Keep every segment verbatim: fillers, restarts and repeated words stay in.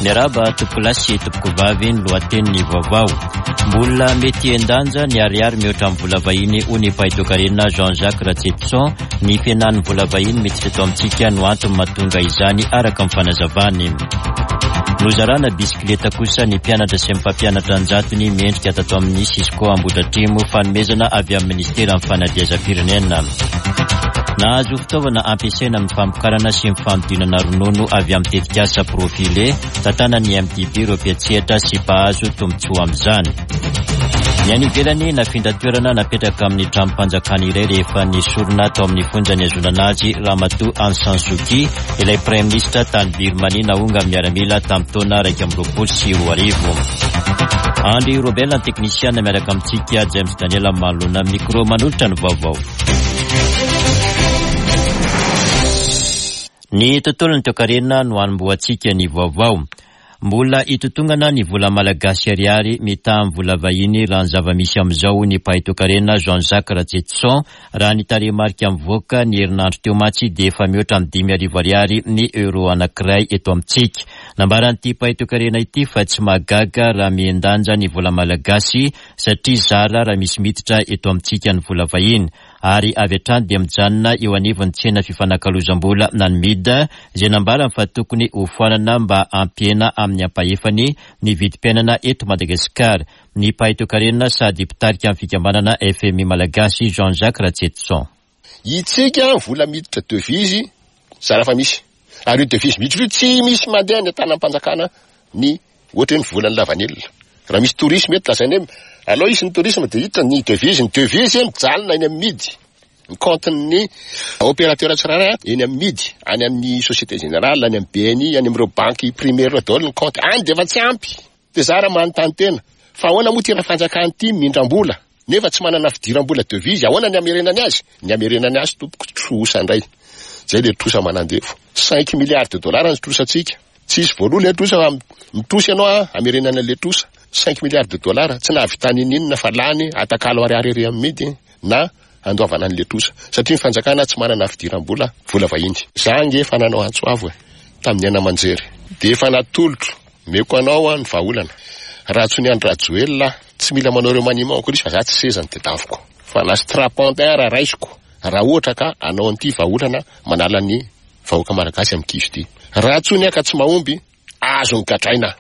Miarahaba tompokolahy sy tompokovavy. Ny lohatenin'ny vaovao: mbola mety hihen-danja ny ariary mihoatra amin'ny vola vahiny, hoy ny mpahay toekarena Jean-Jacques Ratsietison. Ny fihenan'ny vola vahiny miditra eto amintsika no antony mahatonga izany, araka ny fanazavany. Nozarana bisikileta kosa ny mpianatra sy ny mpampianatra an-jatony mendrika tato amin'ny Cisco Ambohidratrimo, fanomezana avy amin'ny ministeran'ny fanabeazam-pirenena. Nahazo fitaovana ampiasaina amin'ny famokarana sy ny fanodinana ronono avy amin'ny tetikasa Profile tantanan'ny M D B ireo mpiantsehatra sy mpahazo tombontsoa amin'izany. Ny any ivelany, nafindra toerana, napetraka amin'ny tranom-panjakana iray rehefa nesorina tao amin'ny fonja nihazonana azy Ramatoa Aung San Suu Kyi, ilay praiminisitra tany Birmanie naongan'ny miaramila tamin'ny taona raika amby roapolo sy roa arivo. Andry Robel ny teknisiana, miaraka amintsika James Daniel manoloana micro manolotra ny vaovao. Ny tontolo ny toekarena no anombohantsika ny vaovao. Mbola hitotongana ny vola malagasy ariary mitaha amin'ny vola vahiny raha ny zava-misy amin'izao, ny mpahay toekarena Jean-Jacques Ratsietison. Raha ny tarehimarika mivoaka ny herinandro teo mantsy dia efa mihoatra amin'ny dimy arivo ariary ny euro anankiray eto amintsika. Nambaran'ity mpahay toekarena ity fa tsy mahagaga raha mihen-danja ny vola malagasy, satria zara raha misy miditra eto amintsika ny vola vahiny, ary avy hatrany dia mijanona eo anivon'ny tsena fifanakalozam-bola na ny M I D, izay nambarany fa tokony hofoanana mba hampihena amin'ny ampahefany ny vidim-piainana eto Madagasikara. Ny mpahay toekarena sady mpitarika amin'ny fikambanana F M I malagasy Jean-Jacques Ratsietison. Itsika vola miditra devise zara fa misy, ary io devise miditra io tsy misy mandeha ny an-tanam-panjakana. Ny ohatra hoe ny volan'ny lavanila, raha misy tourisme eto, lazainy hoe alao isy ny tourisme de hiditra ny devise. Ny devise mijalona eny amin'ny M I D, ny compte-ny opérateur tsirairay eny amin'ny M I D, any amin'ny Société Générale, any amin'ny B N I, any amin'ireo banque primaire reo daholo ny compte any, de efa tsy ampy. De za raha manontany tena fa ahoana moa ty raha fanjakana ity mindram-bola nefa tsy manana fidiram-bola devise, ahoana ny amerenany azy? Ny amerenany azy, tompoko, trosa indray zay, le trosa manandefo cinq milliards de dollars ny trosatsika. Tsisy voaloha le trosa fa mitrosy ianao a, amerenana le trosa cinq milliards de dollars, tsy nahavitany ininona fa lany atakalo ariary ery amin'ny M I D na andoavana an'le trosa, satria ny fanjakana tsy manana fidiram-bola vola vahiny. Za nge efa nanao antso avo e tamin'ny aina manjery, de efa natolotro meko anao a ny vahaolana. Raha tsy ny Andry Rajoelina, tsy mila manao remaniement akory izy, fa za tsy sezany tedaviko fa na strapontin raha raisiko, raha ohatra ka anao an'ity vahaolana manala ny vahoaka malagasy amin'ny kizo ty. Raha tsony ka tsy mahomby, azo ny gadraina.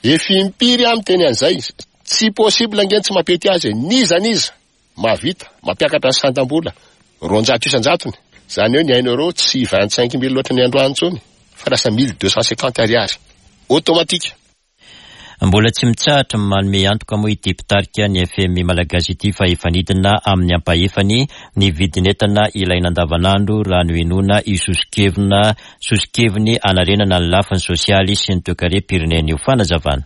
Efa impiry aho miteny an'izay, tsy possible angeny tsy mampety azy e. Niza niza mahavita mampiakatra ny sandam-bola roanjato isan-jatony zany hoe ny un euro tsy vingt cinq mille loatra ny androany intsony fa lasa mille deux cent cinquante ariary automatique. Mbola tsy mitsahatra manome antoka moa ity mpitarika ny F M I malagasy ity fa efa nidina amin'ny ampahefany ny vidin'entana ilaina andavanandro raha no inoana io sosokevina sosokeviny anarenana ny lafiny sosialy sy ny toekarem-pirenena io. Fanazavana.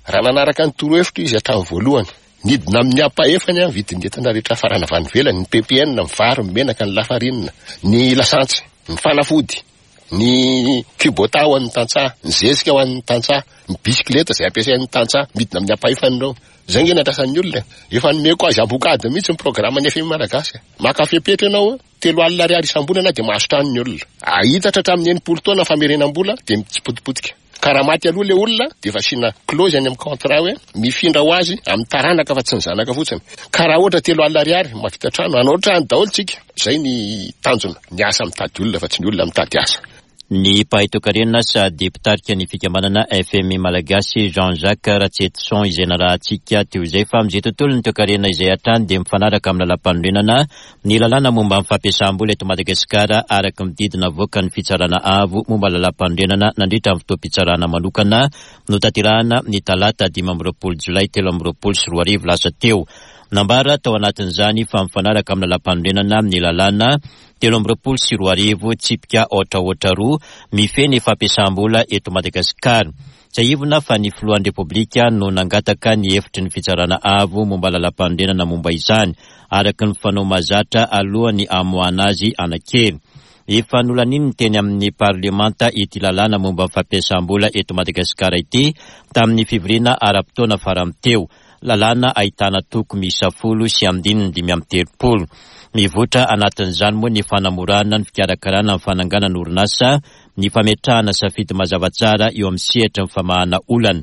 Raha nanaraka ny torohevitra izy hatramin'ny voalohany, nidina amin'ny ampahefany a vidin'entana rehetra farana avy any ivelany: ny P P N, ny vary, ny menaka, ny lafarinina, ny lasantsy, ny fanafody, ny Kubota ho an'ny tantsaha, ny zezika ho an'ny tantsaha, ny bisikileta zay ampiasain'ny tantsaha, midina amin'ny ampahefany ireo. Zay nge nandrasan'ny olona. Efa nomeko azy ambokady mihitsy ny programme ny F M I malagasy. Maka fepetra ianao, telo alina ariary isam-bolana de mahazo trano ny olona, ahitatra hatramin'ny enimpolo taona famerenam-bola, de mitsipotipotika. Ka raha maty aloha le olona, de efa asiana clause any amin'ny contrat hoe mifindra ho azy amin'ny taranaka fa tsy ny zanaka fotsiny. Ka raha ohatra telo alina ariary mahavita trano, hanao trano daholo tsika. Zay ny tanjona: ny asa mitady olona fa tsy ny olona mitady asa. Ny mpahay toekarena sady mpitarika ny fikambanana F M I malagasy Jean-Jacques Ratsietison izay narahantsika teo izay. Fa amin'izay tontolo ny toekarena izay hatrany dia mifanaraka amin'ny lalàm-panorenana ny lalàna momba amin'ny fampiasam-bola eto Madagasikara, araka ny didy navoaka ny fitsarana avo momba lalàm-panorenana nandritra ny fotoam-pitsarana manokana notanterahana ny talata dimy amby roapolo jolay telo amby roapolo sy roa arivo lasa teo. Nambara tao anatin'izany fa mifanaraka amin'ny lalàm-panorenana ny lalàna telo amby roapolo sy roa arivo tsipika aotra aotra roa mifehy ny fampiasam-bola eto Madagasikara. Tsiahivina fa ny filohan'ny Repoblika no nangataka ny hevitry ny fitsarana avo momba lalàm-panorenana momba izany, araka ny fanao mahazatra alohan'ny amoahana azy anakery. Efa nolaniny teny amin'ny parlemanta ity lalàna momba ny fampiasam-bola eto Madagasikara ity tamin'ny fivoriana ara-potoana farany teo. Lalàna ahitana toko miisa folo sy andininy dimy amby telopolo. Mivoitra anatin'izany moa ny fanamorana ny fikarakarana ny fananganana orinasa. ny fametrahana safidy mazava tsara eo amin'ny sehatra ny famahana olana,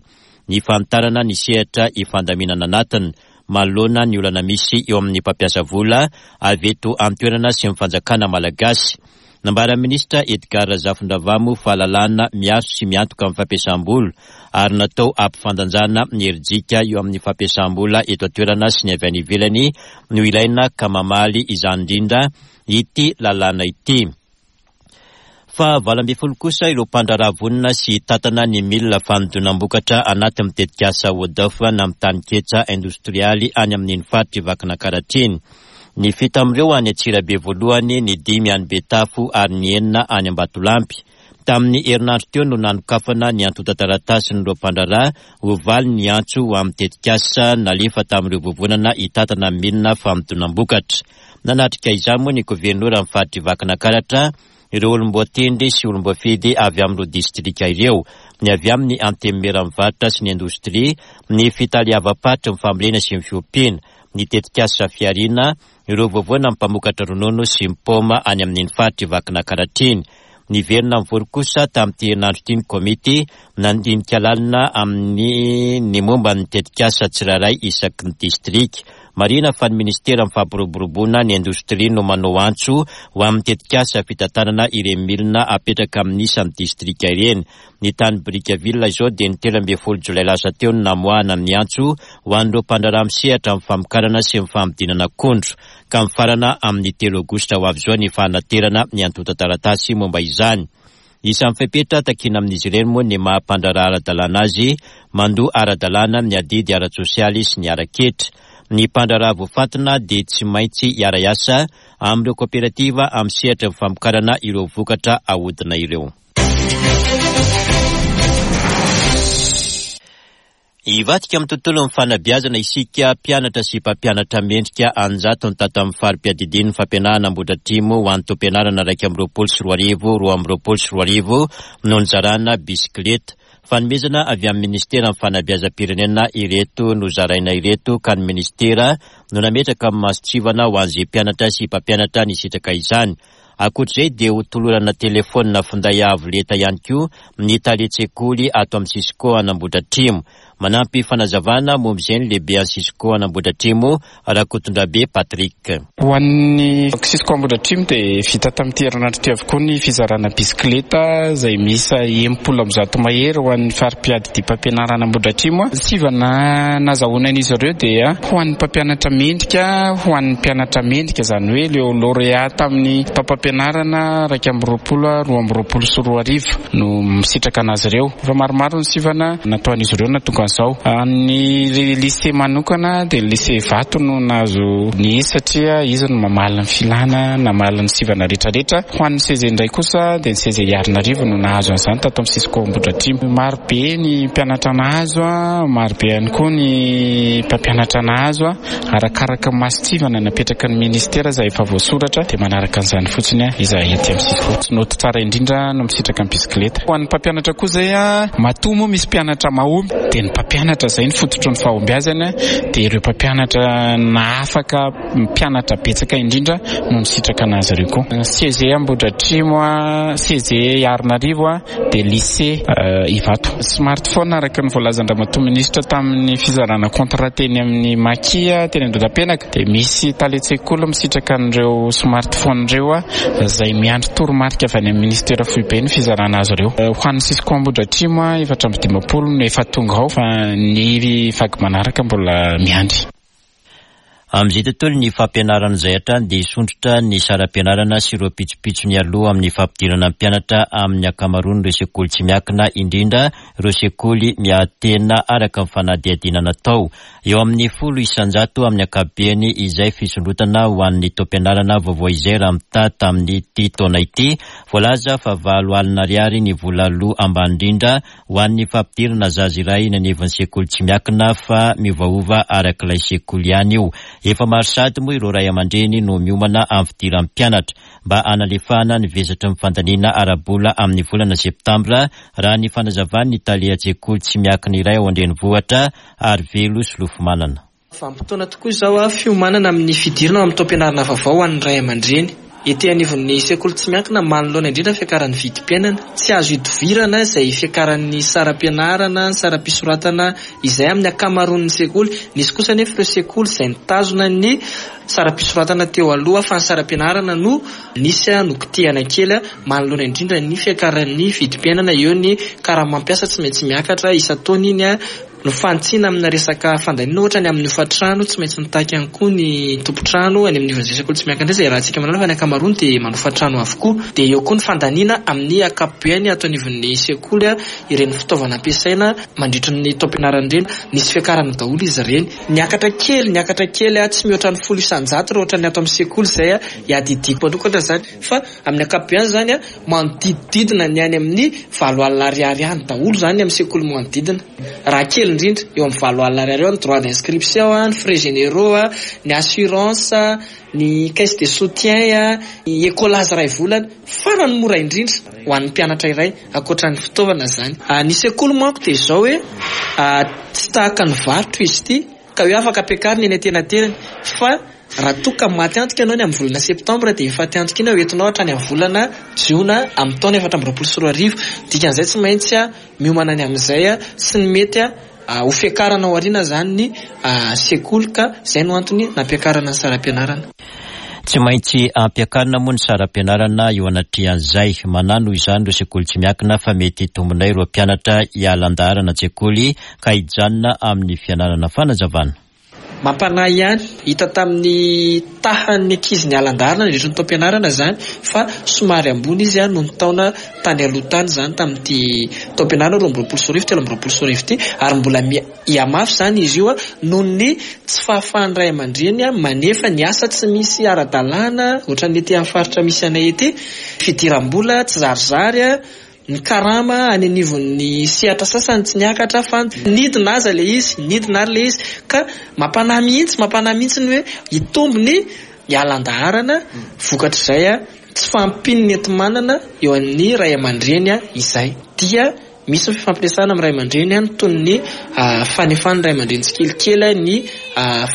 ny fanitarana ny sehatra ifandaminana anatiny manoloana ny olana misy eo amin'ny mpampiasa vola avy eto an-toerana sy ny fanjakana malagasy. Nambaran'ny minisitra Edgar Razafindravahy fa lalàna miaro sy miantoka amin'ny fampiasam-bola ary natao hampifandanjana ny herijika eo amin'ny fampiasam-bola eto an-toerana sy ny avy any ivelany no ilaina ka mamaly izany indrindra ity lalàna ity. Fa valo ambin'ny folo kosa ireo mpandraharaha vonona sy tantana ny milina fanodinam-bokatra anatin'ny tetikasa O D F na amin'ny taninketsa indostrialy any amin'iny faritra Vakinankaratra iny. Ny fito amin'ireo any Antsirabe voalohany, ny dimy any Betafo ary ny enina any Ambatolampy. Tamin'ny herinandro teo no nanokafana ny antontan-taratasin'ireo mpandraharaha ho valy ny antso ho amin'ny tetikasa nalefa tamin'ireo vovonana hitantana milina fanodinam-bokatra. Nanatrika izany moa ny governoran'ny faritra Vakinankaratra, ireo olom-boatendry sy olom-boafidy avy amin'ireo distrika ireo, ny avy amin'ny antenimieran'ny varotra sy ny indostria, ny fitaleavam-paritry ny fambolena sy ny fiompiana, ny tetikasa fihariana, ireo vovonana mpamokatra ronono sy ny paoma any amin'iny faritra Vakinankaratra iny. Niverina nivory kosa tamin'ity herinandro ity ny komity nandinika lalina amin'ny ny momba ny tetikasa tsirairay isaky ny distrika. Marihina fa ny ministera amin'ny fampiroboroboana ny indostria no manao antso ho amin'ny tetikasa fitantanana ireny milina apetraka amin'ny isan'ny distrika ireny. Ny tany Brickaville izao dia ny telo ambin'ny folo jolay lasa teo no namoahana ny antso ho an'ireo mpandraharaha misehatra amin'ny famokarana sy ny fanodinana akondro, ka mifarana amin'ny telo aogositra ho avy izao ny fanaterana ny antontan-taratasy momba izany. Isan'ny fepetra takiana amin'izy ireny moa ny maha mpandraharaha ara-dalàna azy, mandoa ara-dalàna ny adidy ara-tsosialy sy ny ara-ketra. Ny mpandraharaha voafantina dia tsy maintsy hiara-hiasa amin'ireo kooperativa amin'ny sehatra ny famokarana ireo vokatra ahodina ireo. Hivadika amin'ny tontolon'ny fanabeazana isika, mpianatra sy mpampianatra mendrika anjatony tato amin'ny fari-piadidian'ny fampianarana Ambohidratrimo ho an'ny taom-pianarana iraika amby roapolo sy roa arivo, roa amby roapolo sy roa arivo no nizarana bisikileta. Fanomezana avy amin'ny ministeran'ny fanabeazam-pirenena ireto nozaraina ireto ka ny ministera no nametraka amin'ny mason-tsivana ho an'izay mpianatra sy mpampianatra nisitraka izany. Ankoatr'izay dia ho tolorana telefaonina finday avo lenta ihany koa ny talen-tsekoly ato amin'ny Cisco An'Ambohidratrimo. Manampy fanazavana momba izay ny lehibe an'ny Cisco An'Ambohidratrimo, Rakotondrabe Patrick. Ho an'ny Cisco Ambohidratrimo dia vita tamin'ity herinandro ity avokoa ny fizarana bisikileta izay miisa enimpolo amby zato mahery ho an'ny fari-piadidiam-pampianarana Ambohidratrimo. Sivana nazahoana an'izy ireo dia ho an'ny mpampianatra mendrika, ho an'ny mpianatra mendrika, izany hoe ireo lauréat tamin'ny taom-pampianarana iraika amby roapolo, roa amby roapolo sy roa arivo no misitraka anazy ireo. Efa maromaro ny sivana nataon'izy ireo nahatonga an'izao. Ny lycée manokana dia ny lycée Ivato no nahazo ny izy satria izy no mamaly ny filana, namaly ny sivana rehetrarehetra. Ho an'ny C G indray kosa dia ny C G Iarinarivo no nahazo an'izany tato amin'ny Cisco Ambohidratrimo. Maro be ny mpianatra nahazo, maro be ihany koa ny mpampianatra nahazo, arakaraka ny mason-tsivana napetraka ny ministera izay efa voasoratra dia manaraka an'izany fotsiny izahay aty amin'ny Cisco. Tsy noty tsara indrindra no misitraka ny bisikileta. Ho an'ny mpampianatra koa izay, matoa moa misy mpianatra mahomby dia ny mpampianatra izay ny fototry ny fahombiazana, dia ireo mpampianatra nahafaka mpianatra betsaka indrindra no nisitraka anazy ireo koa. C G Ambohidratrimo, C G Iarinarivo dia lycée Ivato. Smartphone araka ny voalazan-dRamatoa minisitra tamin'ny fizarana contrat teny amin'ny Maki teny Andohatapenaka dia misy talen-tsekoly misitraka an'ireo smartphone ireo izay miandry toromarika avy any amin'ny ministera foibe ny fizarana azy ireo. Ho an'ny Cisco Ambohidratrimo efatra amby dimampolo no efa tonga ao fa ny vaky manaraka mbola miandry. Amin'izay tontolo ny fampianarana izay hatrany dia hisondrotra ny saram-pianarana sy ireo pitsopitsony aloha amin'ny fampidirana mpianatra amin'ny ankamaroan'ireo sekoly tsy miankina, indrindra ireo sekoly miahy-tena araka ny fanadihadiana natao. Eo amin'ny folo isanjato amin'ny ankapobeny izay fisondrotana ho an'ny taom-pianarana vaovao izay raha mitaha tamin'ity taona ity. Voalaza fa valo alina ariary ny vola aloa ambany indrindra ho an'ny fampidirana zaza iray eny anivon'ny sekoly tsy miankina fa miovaova araka ilay sekoly ihany io. Efa maro sady moa ireo ray aman-dreny no miomana amin'ny fidiran'ny mpianatra mba hanalefahana ny vesatry ny fandaniana ara-bola amin'ny volana septambra, raha ny fanazavan'ny talen-tsekoly tsy miankina iray ao an-drenivohitra Arivelo Solofomanana. Vanim-potoana tokoa izao a fiomanana amin'ny fidirana ao amin'ny taom-pianarana vaovao ho an'ny ray aman-dreny. Ety anivon'ny sekoly tsy miankina manoloana indrindra fiakaran'ny vidim-piainana. Tsy azo idovirana izay fiakaran'ny saram-pianarana, ny saram-pisoratana izay amin'ny ankamaroan'ny sekoly. Nisy kosa anefa ireo sekoly izay nitazona ny saram-pisoratana teo aloha fa ny saram-pianarana no nisy nokitihana kely manoloana indrindra ny fiakaran'ny vidim-piainana. Eo ny karama-mpiasa tsy maintsy miakatra isan-taona iny no fanitsiana amina resaka fandaniana, ohatra ny amin'ny hofantrano tsy maintsy mitaky ihany koa ny tompon-trano any amin'ny ivon'izay sekoly tsy miankina izay raha antsika manana fa ny ankamaroany dia manofa trano avokoa. Dia eo koa ny fandaniana amin'ny ankapobeny ato anivon'ny sekoly, ireny fitaovana ampiasaina mandritra ny taom-pianarana ireny, nisy fiakarana daholo izy ireny. Niakatra kely, niakatra kely tsy mihoatra ny folo isan-jato raha ohatra ny ato amin'ny sekoly izay iadidiako manokana izany, fa amin'ny ankapobeny izany manodidididina ny any amin'ny valo alina ariary any daholo izany amin'ny sekoly manodidina. Raha kely indrindra eo amin'ny valo alina ariary eo ny droit d'inscription, ny frais généraux, ny assurance, ny caisse de soutien, ny écolage iray volana, farany mora indrindra ho an'ny mpianatra iray ankoatra ny fitaovana izany. Ny sekoly manko dia izao hoe tsy tahaka ny varotra izy ity ka hoe afaka ampiakarina eny an-tenatenany, fa raha toa ka maty antoka ianao ny amin'ny volana septambra dia efa faty antoka iny hoentinao hatrany amin'ny volana jiona amin'ny taona efatra amby roapolo sy roa arivo. Dikan'izay tsy maintsy miomana ny amin'izay sy ny mety ho fiakarana ao aoriana izany ny sekoly, ka izay no antony nampiakarana ny saram-pianarana. Tsy maintsy ampiakarina moa ny saram-pianarana eo anatrehan'izay. Manano izany ireo sekoly tsy miankina fa mety tombonay ireo mpianatra hiala an-daharana an-tsekoly ka hijanona amin'ny fianarana. Fanazavana. Mampanahy ihany, hita tamin'ny tahan'ny ankizy niala an-daharana nandritra ny taom-pianarana izany fa somary ambony izy noho ny taona tany aloha tany izany tamin'ity taom-pianarana roa amby roapolo sy roa arivo telo amby roapolo sy roa arivo ity, ary mbola hihamafy izany izy io noho ny tsy fahafahan'ny ray aman-dreny manefa ny asa tsy misy ara-dalàna ohatran'ny ety amin'ny faritra misy anay ety, fidiram-bola tsy zarizary, ny karama any anivon'ny sehatra sasany tsy niakatra fa nidina aza ilay izy, nidina ary ilay izy, ka mampanahy mihitsy, mampanahy mihitsy ny hoe hitombo ny hiala an-daharana vokatr'izay tsy fahampian'ny enti-manana eo amin'ny ray aman-dreny izay. Dia misy ny fifampiresahana amin'ny ray aman-dreny toy ny fanefan'ny ray aman-dreny tsikelikely ny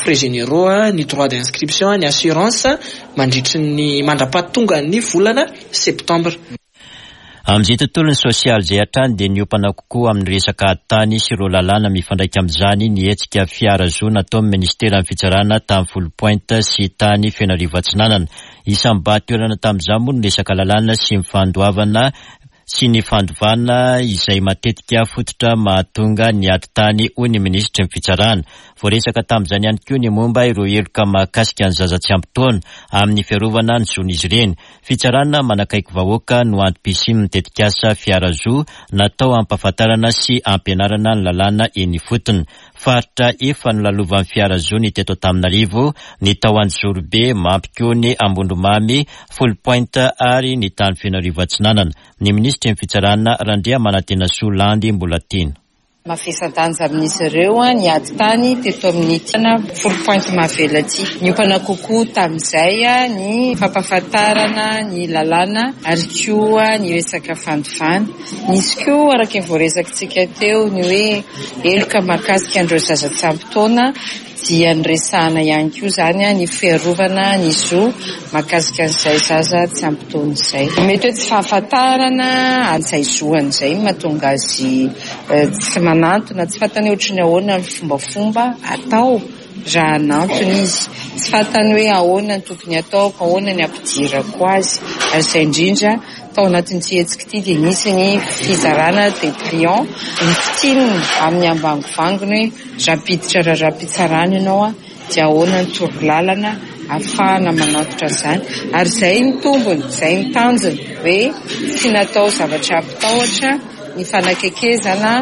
frais généraux, ny droit d'inscription, ny assurance mandritry ny mandra-pahatonga ny volana septambra. Amin'izay tontolon'ny sosialy izay hatrany dia niompana kokoa amin'ny resaka tany sy ireo lalàna mifandraika amin'izany ny hetsika fiara-zo nataon'ny ministeran'ny fitsarana tamin'ny Foulpointe sy tany Fenarivo Atsinanana. Isan'ny mba-toerana tamin'izany moa ny resaka lalàna sy ny fandoavana sy ny fandovana izay matetika fototra mahatonga ny ady tany, hoy ny minisitry ny fitsarana. Voaresaka tamin'izany ihany koa ny momba ireo heloka mahakasika ny zaza tsy ampy taona amin'ny fiarovana ny zon'izy ireny. Fitsarana manakaiky vahoaka no antom-pisian'ny tetikasa fiara-zo natao hampahafantarana sy hampianarana ny lalàna eny ifotony. Faritra efa nolalovan'ny fiara-zo ny teto Antananarivo, ny tao Anjozorobe, Mampikony, Ambondromamy, Foulpointe ary ny tany Fenarivo Atsinanana. Ny minisitry ny fitsarana Randriamanantenasoa Landy Mbolatiana. Mavesa-danja amin'izy ireo ny ady tany teto amin'ny tena Foulpointe Mahavelo aty. Niompana kokoa tamin'izay ny fampahafantarana ny lalàna ary koa ny resaka fandovana. Nisy koa araka ny voaresakitsika teo ny hoe heloka mahakasika an'ireo zaza tsy ampy taona, dia niresahana ihany koa izany ny fiarovana ny zo mahakasika an'izay zaza tsy ampy taona izay. Mety hoe tsy fahafantarana an'izay zo an'izay mahatonga azy tsy manantona, tsy fantany ohatry ny ahoana ny fombafomba atao raha hanantona izy, tsy fantany hoe ahoana ny tokony ataoko, ahoana ny ampidirako azy. Ary izay indrindra tao anatin'ity hetsika ity dia nisy ny fizarana dépliant, ny fitinina amin'ny ambangovangony hoe raha hampiditra raharaham-pitsarana ianao dia ahoana ny torolalana ahafahana manantitra an'izany. Ary izay ny tombony, izay ny tanjony hoe tsy natao zavatra hampitahotra ny fanakekezana,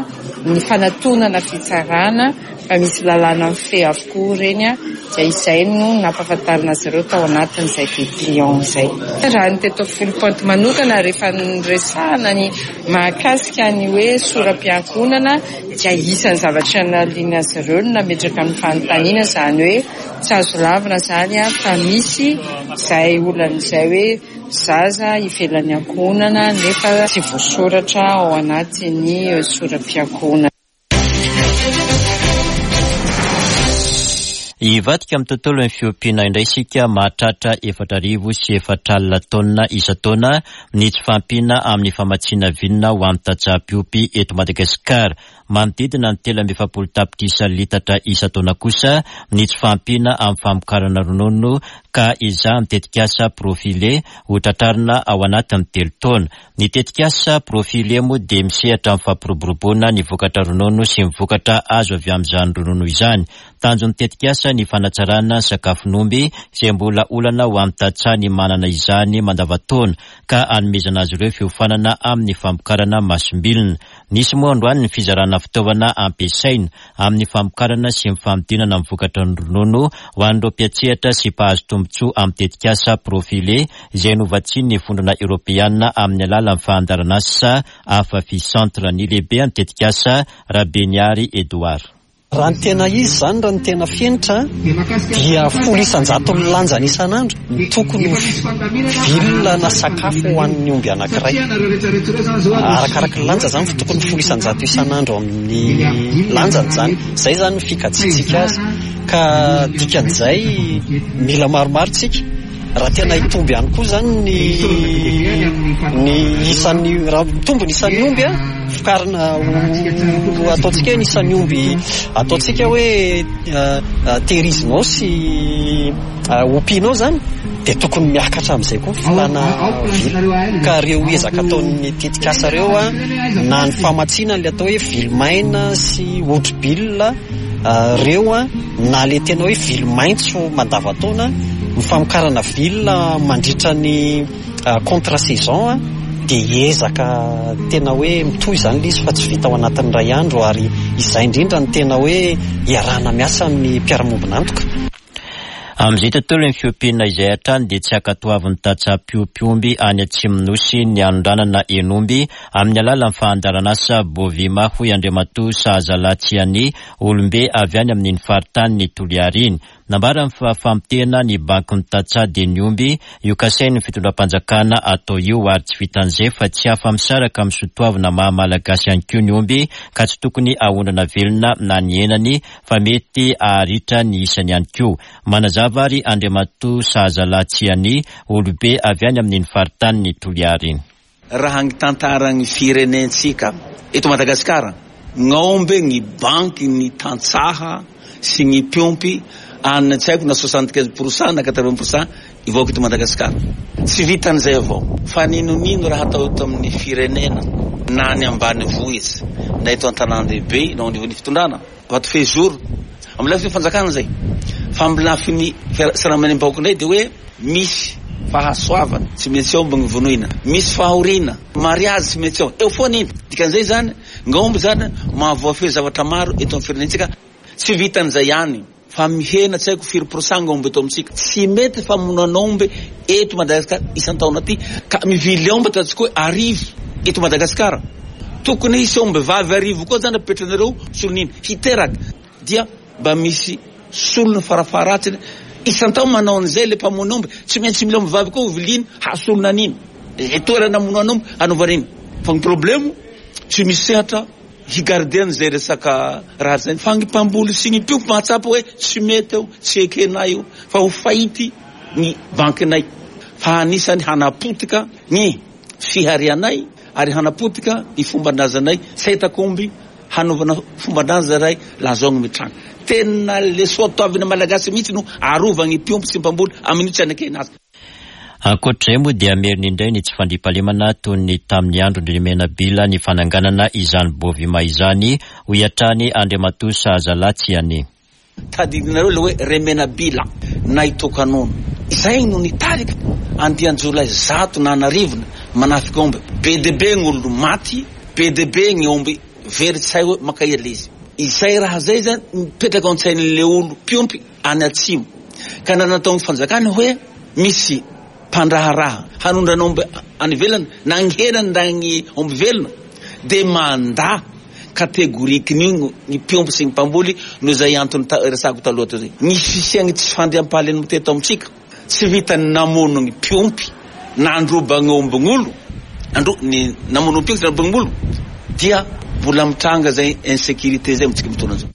ny fanatonana fitsarana fa misy lalàna mifehy avokoa ireny, dia izay no nampahafantarina azy ireo tao anatin'izay dépliant izay. Raha ny teto Foulpointe manokana rehefa niresahana ny mahakasika ny hoe sora-piankohonana dia isan'ny zavatra naliana azy ireo no nametraka ny fanontaniana, izany hoe tsy azo lavina izany fa misy izay olana izay hoe zaza ivelan'ny ankohonana nefa tsy voasoratra ao anatin'ny sora-piankohonana. Hivadika amin'ny tontolon'ny fiompiana indray isika. Mahatratra efatra arivo sy efatra alina taonina isan-taona ny tsy fahampiana amin'ny famatsiana vilona ho an'ny tantsaha mpiompy eto Madagasikara. Manodidina ny telo amby efapolo tapitrisa litatra isan-taona kosa ny tsy fahampiana amin'ny famokarana ronono ka ezahan'ny tetikasa Profilé ho tratrarina ao anatin'ny telo taona. Ny tetikasa Profilé moa dia misehatra amin'ny fampiroboroboana ny vokatra ronono sy ny vokatra azo avy amin'izany ronono izany. Tanjon'ny tetikasa ny fanatsarana sakafon'omby izay mbola olana ho an'ny tantsaha ny manana izany mandavantaona ka hanomezana azy ireo fiofanana amin'ny famokarana masom-bilona. Nisy moa androany ny fizarana fitaovana ampiasaina amin'ny famokarana sy ny fanodinana ny vokatra ny ronono ho an'ireo mpiantsehatra sy mpahazo tombontsoa amin'ny tetikasa Profilé izay novatsian'ny Vondrona Eoropeana amin'ny alalan'ny fandaharanasa Afafi Centre. Ny lehibe amin'ny tetikasa Rabeniary Edouard. Raha ny tena izy izany, raha ny tena fenitra dia folo isan-jato ny lanjany isan'andro ny tokony ho vilona na sakafo ho an'ny omby anankiray. Arakaraka ny lanja izany fa tokony folo isan-jato isan'andro amin'ny lanjany izany. Izay izany ny fikajiantsika azy. Ka dikan'izay mila maromaro tsika. Raha tena hitombo ihany koa izany ny ny isan'ny, raha mitombo ny isan'ny omby a, vokarina ho ataontsika hoe ny isan'ny omby ataontsika hoe tehirizinao sy ompianao izany dia tokony miakatra amin'izay koa ny filàna vily. Ka ireo ezaka ataon'ny tetikasa ireo a, na ny famatsiana ilay atao hoe vily maina sy hotri-bilona ireo a, na ilay tena hoe vily maitso mandavantaona, ny famokarana vilona mandritra ny contre saison a, dia ezaka tena hoe mitohy izany ilay izy fa tsy vita ao anatin'ny iray andro, ary izay indrindra no tena hoe iarahana miasa amin'ny mpiara-miombon'antoka. Amin'izay tontolon'ny fiompiana izay hatrany dia tsy ankatoavin'ny tantsaha mpiompy omby any Atsimon'Nosy ny anondranana hen'omby amin'ny alalan'ny fandaharanasa Bovima, hoy Andriamatoa Sahazalahy Tsiani, olombe avy any amin'iny faritany Toliara iny. Nambarany fa famotehana ny bankin'ny tantsaha dia ny omby io kasain'ny fitondram-panjakana atao io, ary tsy vitan'izay fa tsy afa-misaraka amin'ny soatoavina maha malagasy ihany koa ny omby ka tsy tokony ahondrana velona na ny henany fa mety haharitra ny isany ihany koa. Manazava ary Andriamatoa Sahazalahy Tsiani, olobe avy any amin'iny faritany Toliara iny. Raha ny tantaran'ny firenentsika eto Madagasikara, ny omby ny banky ny tantsaha sy ny mpiompy any tsy haiko na soixante-quinze pour cent na quatre-vingts pour cent ivoaka eto Madagasikara. Tsy vitan'izay avao fa ninonino raha atao eto amin'ny firenena na any ambanivohitra na eto an-tanàn-dehibe na ao anivon'ny fitondrana vato fehizoro amin'ny lafiny fanjakana izay, fa amin'ny lafiny fiarahamonim-bahoaka indray dia hoe misy fahasoavana tsy maintsy omby ny vonoina, misy fahoriana, mariazy tsy maintsy omby, eo foana iny. Dikan'izay izany, ny omby izany mahavoafehy zavatra maro eto amin'ny firenentsika. Tsy vitan'izay ihany fa mihena tsy haiko firy pour cent ny omby eto amintsika. Tsy mety famonoana omby eto Madagasikara isan-taona aty, ka mivily omby ataontsika hoe arivo eto Madagasikara. Tokony hisy omby vavy arivo koa zany apetranareo solon'iny hiteraka, dia mba misy solony farafaharatsiny isan-taona manao an'izay le mpamono omby. Tsy maintsy mila omby vavy koa hoviliny hasolona an'iny e toerana hamonoana omby hanaovana iny. Fa ny problemo tsy misy sehatra higarder an'izay resaka raha zay. Fa ny mpamboly sy ny mpiompy mahatsapa hoe tsy mety eo, tsy ekenay io, fa ho fahity ny bankinay, fa anisany hanapotika ny fiharianay ary hanapotika ny fomban-drazanay. Tsy ahitako omby hanaovana fomban-draza ray lazao ny mitranga. Tena le soatoavina malagasy mihitsy no arovany mpiompy sy mpamboly amin'io tsy anekena azy. Ankoatr'izay moa dia merina indray ny tsy fandriampahalemana toy ny tamin'ny andron-dRemenabila ny fananganana izany Bovima izany, hoy hatrany Andriamatoa Sahazalahy Tsiani. Tadidinareo le hoe Remenabila na Itokanono. Izay no nitarika andian-jiolahy zato na anarivony manafika omby. Be dia be ny olona maty, be dia be ny omby very tsy hay hoe mankahery le izy. Izay raha zay zany mipetraka ao an-tsain'le olo mpiompy any atsimo. Ka na nataon'ny fanjakana hoe misy mpandraharaha hanondrana omby any ivelany na ny henany na ny omby velona dia mandà kategorikin'io ny mpiompy sy ny mpamboly noho izay antony resako taloha teo zay. Ny fisian'ny tsy fandriampahalemana teto amintsika tsy vita ny namono ny mpiompy nandroba ny ombin'olo, andro ny namono ny mpiompy nandroba ny olo, dia mbola mitranga zay insécurité zay amintsika mitondra zao.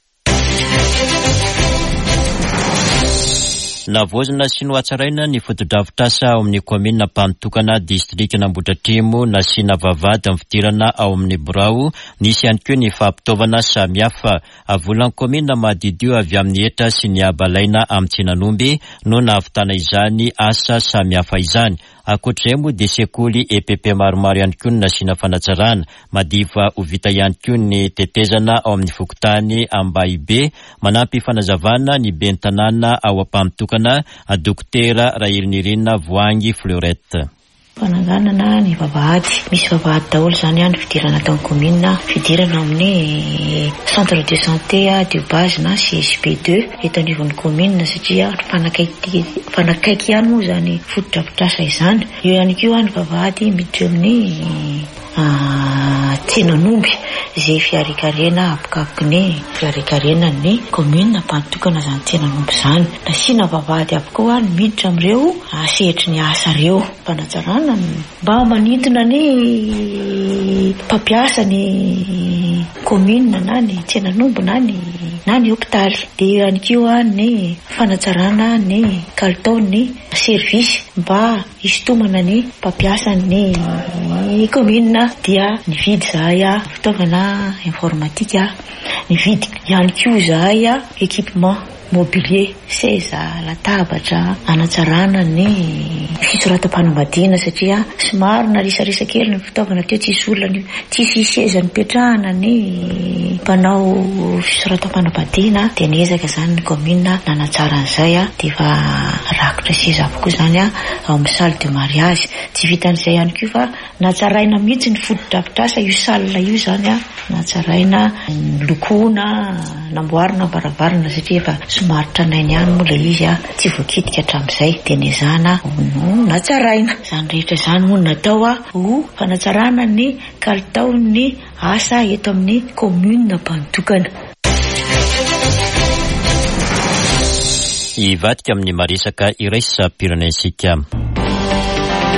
Navaozina sy nohatsaraina ny fotodrafitrasa ao amin'ny kaominina Ampanotokana, distrikan'Ambohidratrimo, nasiana vavahady amin'ny fidirana ao amin'ny birao. Nisy ihany koa ny fampitaovana samihafa. Volan'ny kaominina mahadidio avy amin'ny hetra sy ny habalaina amin'ny tsenan'omby no nahavitana izany asa samihafa izany. Ankoatr'izay moa dia sekoly E P P maromaro ihany koa no nasiana fanatsarana. Madiva ho vita ihany koa ny tetezana ao amin'ny fokontany Ambahibe. Manampy fanazavana ny ben'ny tanàna ao Ampanotokana, Dokotera Rahelinirina Voahangy Fleurette. Fananganana ny vavahady. Misy vavahady daholo izany ny fidirana tao amin'ny commune, fidirana amin'ny centre de santé de base na C S P deux eto anivon'ny commune, satria fanakaiky, fanakaiky ihany moa izany fotodrafitrasa izany. Eo ihany koa ny vavahady miditra amin'ny tsenan'omby izay fiarikarena apokapoky ny fiarikarena ny commune Ampanotokana izany tsenan'omby izany. Nasiana vavahady avokoa ny miditra amin'ireo sehatry ny asa ireo. Fanatsarana mba manintona ny mpampiasa ny commune na ny tsenan'omby na ny na ny hopitaly. Dia eo ihany koa ny fanatsarana ny kalitaon'ny service mba hisintomana ny mpampiasa ny commune. Dia nividy izahay fitaovana informatika, nividy ihany koa izahay équipement mobilier, seza, latabatra, hanatsarana ny fisoratam-panambadiana, satria somary narisarisa kely ny fitaovana teo, tsisy olona, tsisy seza nipetrahana ny mpanao fisoratam-panambadiana. Dia niezaka izany ny commune nanatsara an'izay, dia efa rakotra seza avokoa izany ao amin'ny salle de mariage. Tsy vitan'izay ihany koa fa natsaraina mihitsy ny fotodrafitrasa io salle io izany, natsaraina, nolokoina, namboarina varavarana, satria efa somary tranainy ihany moa ilay izy, tsy voakitika hatramin'izay, dia nezahana no natsaraina. Izany rehetra izany moa no natao ho fanatsarana ny kalitaon'ny asa eto amin'ny commune Ampanotokana. Hivadika amin'ny maresaka iraisam-pirenentsika.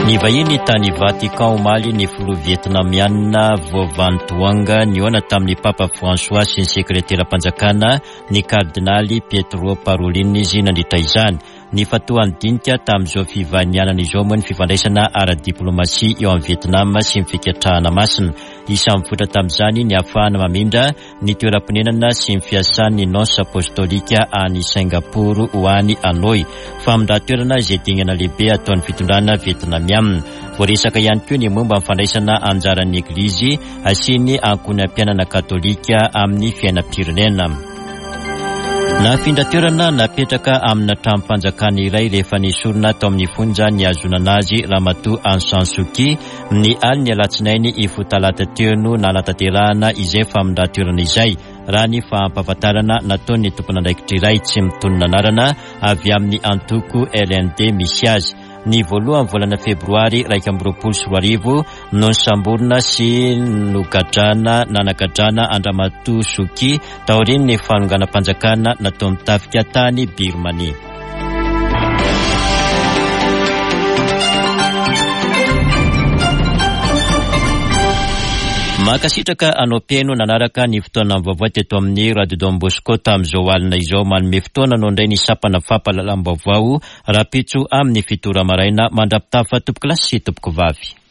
Ny vahiny tany Vatican omaly ny filoha vietnamiana Vo Van Thuong nihaona tamin'ny Papa François sy ny sekreteram-panjakana ny kardinaly Pietro Parolin izy nandritra izany. Ny fatohan'ny dinika tamin'izao fivahinianana izao moa ny fifandraisana ara-diplomasia eo amin'ny Vietnam sy ny fikatrahana masina. Isan'ny mivoitra tamin'izany ny ahafahana mamindra ny toeram-ponenana sy ny fiasan'ny nonce apostolika any Singapour ho any Hanoi. Famindran-toerana izay dingana lehibe ataon'ny fitondrana vietnamiana. Voaresaka ihany koa ny momba ny fandraisana anjaran'ny Eglizy sy ny ankohonam-piainana katolika amin'ny fiainam-pirenena. Nafindra toerana napetraka amina tranom-panjakana iray rehefa nesorina tao amin'ny fonja nihazonana azy Ramatoa Aung San Suu Kyi ny alin'ny alatsinainy hifoha talata teo no nanatanterahana izay famindran-toerana izay, raha ny fampahafantarana nataon'ny tompon'andraikitra iray tsy mitonona anarana avy amin'ny antoko L N D misy azy. Ny voalohany volana febroary iraika amby roapolo sy roa arivo no nisamborina sy nogadrana nanagadrana an-dRamatoa Suu Kyi taorian'ny fanonganam-panjakana nataon'ny tafika tany Birmanie. Mankasitraka anao mpihaino nanaraka ny fotoana vaovao teto amin'ny Radio Don Bosco tamin'izao alina izao. Manome fotoana anao indray ny sampana fampahalalam-baovao rahampitso amin'ny fito ora maraina. Mandra-pitafa tompoko lahy sy tompoko vavy.